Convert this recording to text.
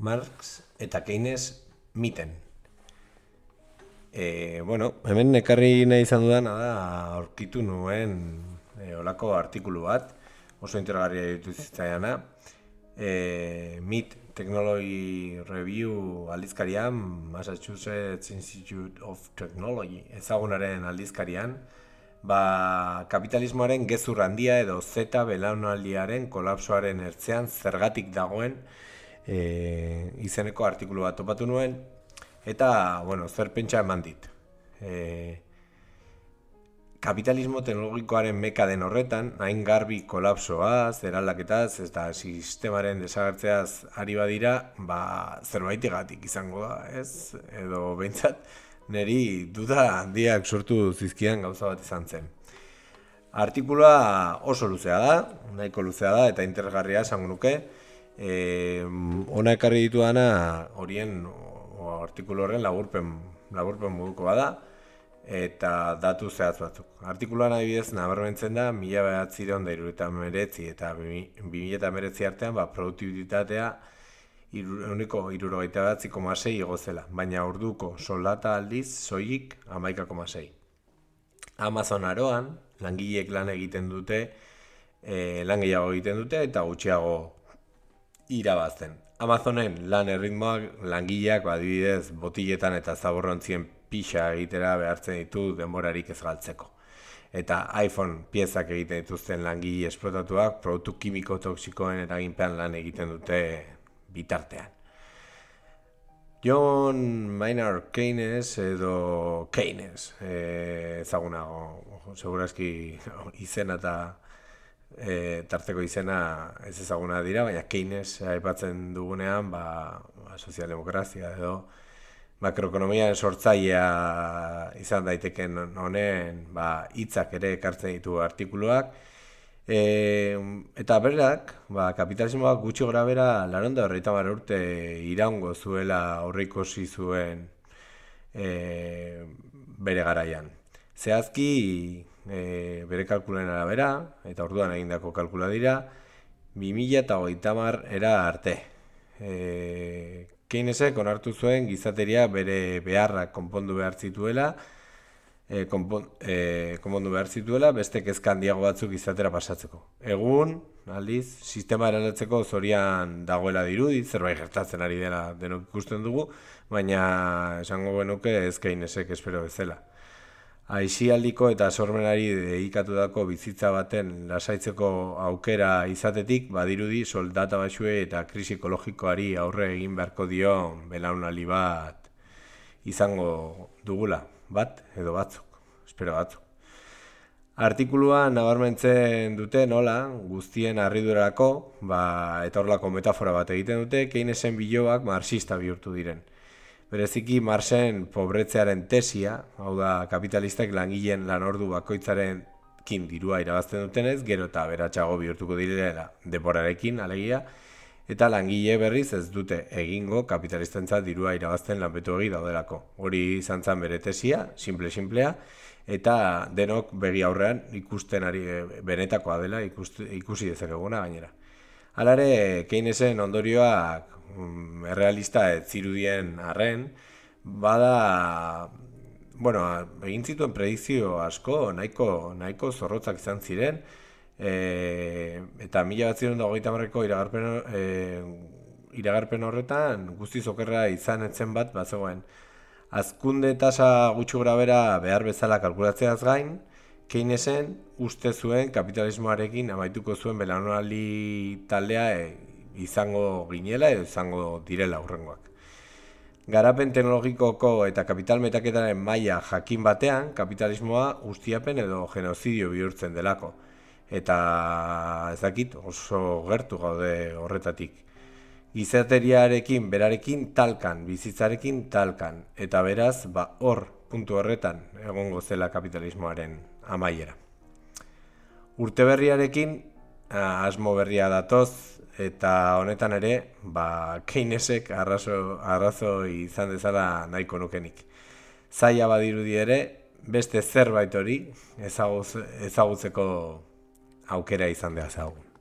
Marx eta Keynes miten. Hemen ekarri nahi izan dudana da aurkitu nuen olako artikulu bat, oso interesgarria ditu zitzaiana. MIT Technology Review aldizkarian, Massachusetts Institute of Technology ezagunaren aldizkarian, kapitalismoaren gezur handia edo Z belaunaldiaren kolapsoaren ertzean zergatik dagoen izeneko artikulu bat topatu nuen, eta, zer pentsa eman dit. Kapitalismo teknologikoaren meka den horretan, hain garbi kolapsoaz, eraldaketaz, eta sistemaren desagertzeaz ari badira, zerbaitegatik izango da, ez? Edo behintzat, niri duda handiak sortu zizkidan gauza bat izan zen. Artikulua oso luzea da, nahiko luzea da, eta interesgarria esango nuke. Hona ekarri dituana horien artikulu horren laburpen moduko bada, eta datu zehatz batzuk. Artikuluan adibidez nabarmentzen da 1979 eta 2019 artean produktibitatea 69,6 igo zela, baina orduko soldata aldiz soilik 11,6. Amazon aroan langileek lan gehiago egiten dute eta gutxiago irabazten. Amazonen lan erritmoak langileak adibidez botiletan eta zaborrontzien pixa egitera behartzen ditu denborarik ez galtzeko. Eta iPhone piezak egiten dituzten langile esplotatuak produktu kimiko toksikoen eraginpean lan egiten dute bitartean. John Maynard Keynes edo Keynes, ezagunago, segurazki izena eta tarteko izena ez ezaguna dira, baina Keynes aipatzen dugunean sozialdemokrazia edo makroekonomiaren sortzailea izan daiteken honen hitzak ere ekartzen ditu artikuluak. Eta berak, kapitalismoak gutxi gora bera 90 urte iraungo zuela aurreikusi zuen bere garaian. Zehazki bere kalkulen arabera, eta orduan egindako kalkula dira, 2030 era arte. Keynesek onartu zuen gizateria bere beharrak konpondu behar zituela, beste kezka handiago batzuk izatera pasatzeko. Egun, aldiz, sistema eraldatzeko zorian dagoela dirudi, zerbait gertatzen ari dela denok ikusten dugu, baina esango genuke ez Keynesek espero bezala. Aisialdiko eta sormenari dedikatutako bizitza baten lasaitzeko aukera izatetik badirudi soldata baxue eta krisi ekologikoari aurre egin beharko dion belaunaldi bat izango dugula, bat edo batzuk, espero batzuk. Artikuluan nabarmentzen dute nola guztien harridurarako eta horrelako metafora bat egiten dute Keynesen biloak marxista bihurtu diren. Bereziki Marxen pobretzearen tesia, hau da kapitalistak langileen lanordu bakoitzarekin dirua irabazten dutenez, gero eta aberatsago bihurtuko direla denborarekin alegia, eta langile berriz ez dute egingo kapitalistentzat dirua irabazten lanpetuegi daudelako. Hori izan zen bere tesia, simplea, eta denok begi aurrean ikusten ari benetakoa dela ikusi dezakeguna gainera. Halare, Keynesen ondorioak errealista ez zirudien arren, egin zituen predikzio asko, nahiko zorrotzak izan ziren, eta 1930ko iragarpen horretan guztiz okerra izan etzen bat bazegoen. Hazkunde tasa gutxi gorabehera behar bezala kalkulatzeaz gain, Keynesen uste zuen kapitalismoarekin amaituko zuen belaunaldi taldea izango ginela edo izango direla hurrengoak. Garapen teknologikoko eta kapital metaketaren maila jakin batean, kapitalismoa ustiapen edo genozidio bihurtzen delako. Eta ez dakit, oso gertu gaude horretatik. Gizateriarekin, berarekin talkan, bizitzarekin talkan, eta beraz, hor, puntu horretan, egongo zela kapitalismoaren amaiera. Urte berriarekin, asmo berria datoz, eta honetan ere, Keynesek arrazoi izan dezala nahiko nukenik. Zaila badirudi ere, beste zerbait hori ezagutzeko aukera izan dezagun.